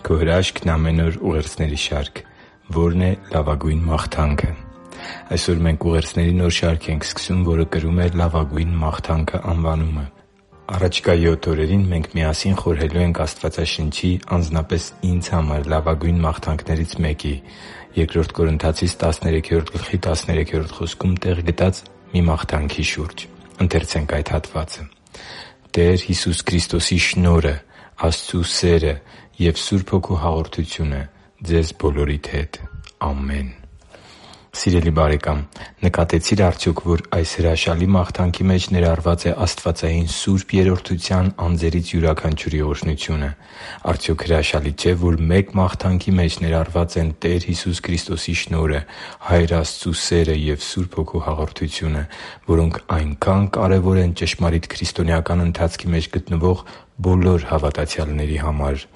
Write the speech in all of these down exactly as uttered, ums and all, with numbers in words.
քո հրաշքն ամեն օր ուղերձների շարք, որն է լավագույն մաղթանքը։ Այսօր մենք ուղերձների նոր շարք ենք սկսում, որը կրում է «Լավագույն մաղթանքը» անվանումը։ Առաջիկա յոթ օրերին մենք միասին խորհելու ենք Աստվածաշնչի, անձնապես ինձ համար լավագույն մաղթանքներից մեկի՝ Բ Կորնթացիս տասներեքերորդ գլխի տասներեքերորդ խոսքում տեղ գտած մի մաղթանքի շուրջ։ Ընթերցենք այդ հատվածը. «Տեր Հիսուս Քրիստոսի շնորհը, Աստծու սերը և Սուրբ Հոգու հաղորդությունը ձեզ բոլորիդ հետ։ Ամեն»։ Սիրելի՛ բարեկամ, նկատեցի՞ր արդյոք, որ այս հրաշալի մաղթանքի մեջ ներառված է աստվածային սուրբ Երրորդության անձերից յուրաքանչյուրի օրհնությունը։ Արդյոք հրաշալի չէ, որ մեկ մաղթանքի մեջ ներառված են Տեր Հիսուս Քրիստոսի շնորհը, Հայր Աստծու սերը և Սուրբ Հոգու հաղորդությունը, որոնք այնքան կարևոր են ճշմարիտ քրիստոնեական ընթացքի մեջ գտնվող բոլոր հավատացյալների համար։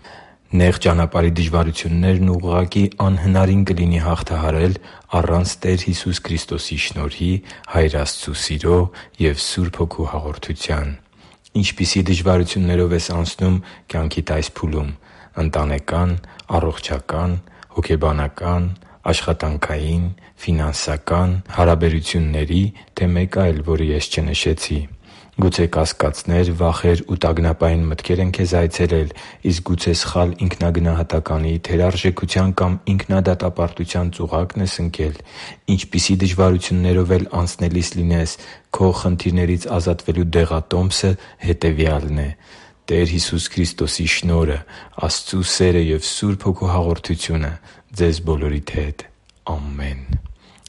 Նեղ ճանապարհի դժվարություններն ուղղակի անհնարին կլինի հաղթահարել առանց Տեր Հիսուս Քրիստոսի շնորհի, Հայր Աստծու սիրո և Սուրբ Հոգու հաղորդության։ Ինչպիսի՞ դժվարություններով ես անցնում կյանքիդ այս փուլում՝ ընտանեկան, առողջական, հոգեբանական, աշխատանքային, ֆինանսական, հարաբերությունների, թե մեկ այլ, որը ես չնշեցի։ Գուցե կասկածներ, վախեր ու տագնապային մտքեր են քեզ այցելել, իսկ գուցե սխալ ինքնագնահատականի, թերարժեքության կամ ինքնադատապարտության ծուղակն ես ընկել։ Ինչպիսի դժվարություններով էլ անցնելիս լինես, քո խնդիրներից ազատվելու դեղատոմսը հետևյալն է՝ Տեր Հիսուս Քրիստոսի շնորհը, Աստծու սերը և Սուրբ Հոգու հաղորդությունը ձեզ բոլորիդ հետ։ Ամեն։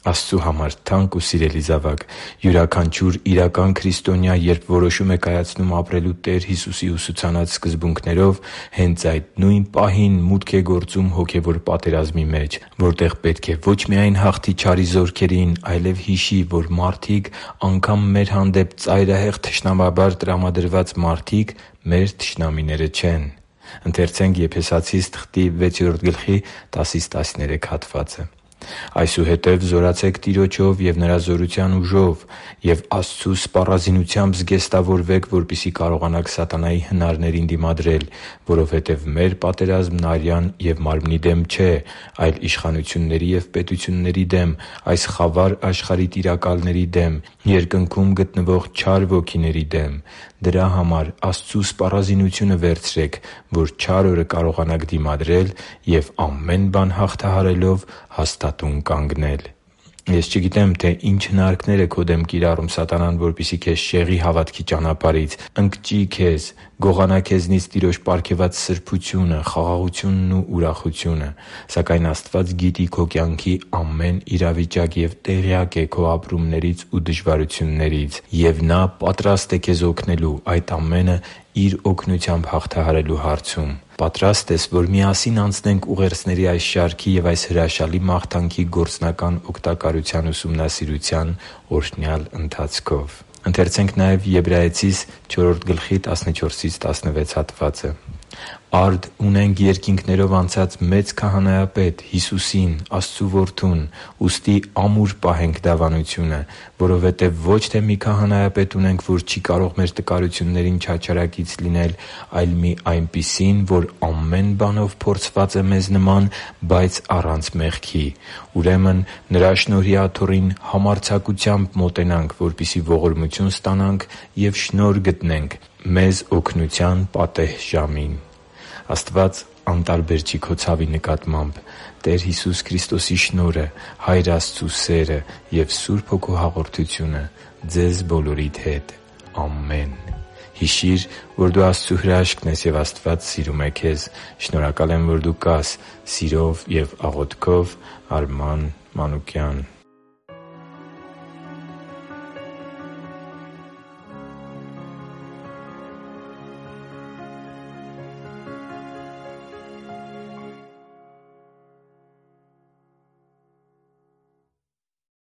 Աստծու համար թանկ ու սիրելի՛ զավակ, յուրաքանչյուր իրական քրիստոնյա, երբ որոշում է կայացնում ապրելու Տեր Հիսուսի ուսուցանած սկզբունքներով, հենց այդ նույն պահին մուտք է գործում հոգևոր պատերազմի մեջ, որտեղ պետք է ոչ միայն հաղթի չարի զորքերին, այլև հիշի, որ մարդիկ, անգամ մեր հանդեպ ծայրահեղ թշնամաբար տրամադրված մարդիկ, մեր թշնամիները չեն։ «Այսուհետև զորացե՛ք Տիրոջով և Նրա զորության ուժով, և Աստծու սպառազինությամբ զգեստավորվե՛ք, որպեսզի կարողանաք սատանայի հնարներին դիմադրել, որովհետև մեր պատերազմն արյան և մարմնի դեմ չէ, այլ իշխանությունների և պետությունների դեմ, այս խավար աշխարհի տիրակալների դեմ, երկնքում գտնվող չար ոգիների դեմ։ Դրա համար Աստծու սպառազինությունը վերցրե՛ք, որ չար օրը կարողանաք դիմադրել և ամեն բան հաղթահարելով հաստատուն կանգնել» (Եփեսացիս թղթի վեցերորդ գլխի տասնչորսից տասնվեցի)։ Ես չգիտեմ, թե ինչ հնարքներ է քո դեմ կիրառում սատանան, որպեսզի քեզ շեղի հավատքի ճանապարհից, ընկճի քեզ, գողանա քեզնից Տիրոջ պարգևած սրբությունը, խաղաղությունն ու ուրախությունը։ Սակայն Աստված գիտի քո կյանքի ամեն իրավիճակ և տեղյակ է քո ապրումներից ու դժվարություններից։ Եվ Նա պատրաստ է քեզ օգնելու այդ ամենը Իր օգնությամբ հաղթահարելու հարցում։ Պատրա՞ստ ես, որ միասին անցնենք ուղերձների այս շարքի և այս հրաշալի մաղթանքի գործնական օգտակարության ուսումնասիրության օրհնյալ ընթացքով։ «Արդ ունենք երկինքներով անցած մեծ Քահանայապետ՝ Հիսուսին՝ Աստծու Որդուն, ուստի ամուր պահենք դավանությունը, որովհետև ոչ թե մի քահանայապետ ունենք, որ չի կարող մեր տկարություններին չարչարակից լինել, այլ մի այնպիսին, որ ամեն բանով փորձված է մեզ նման, բայց առանց մեղքի։ Ուրեմն Նրա շնորհի աթոռին համարձակությամբ մոտենանք, որպեսզի ողորմություն ստանանք և շնորհ գտնենք մեզ օգնության պատեհ ժամին» (Եբրայեցիս չորրորդ գլխի տասնչորսից տասնվեցի)։ Աստված անտարբեր չի քո ցավի նկատմամբ։ Տեր Հիսուս Քրիստոսի շնորհը, Հայր Աստծու սերը և Սուրբ Հոգու հաղորդությունը ձեզ բոլորիդ հետ։ Ամեն։ Հիշի՛ր, որ դու Աստծո հրաշքն ես, և Աստված սիրում է քեզ։ Շնորհակալ եմ, որ դու կա՛ս։ Սիրով և աղոթքով, Արման Մանուկյան։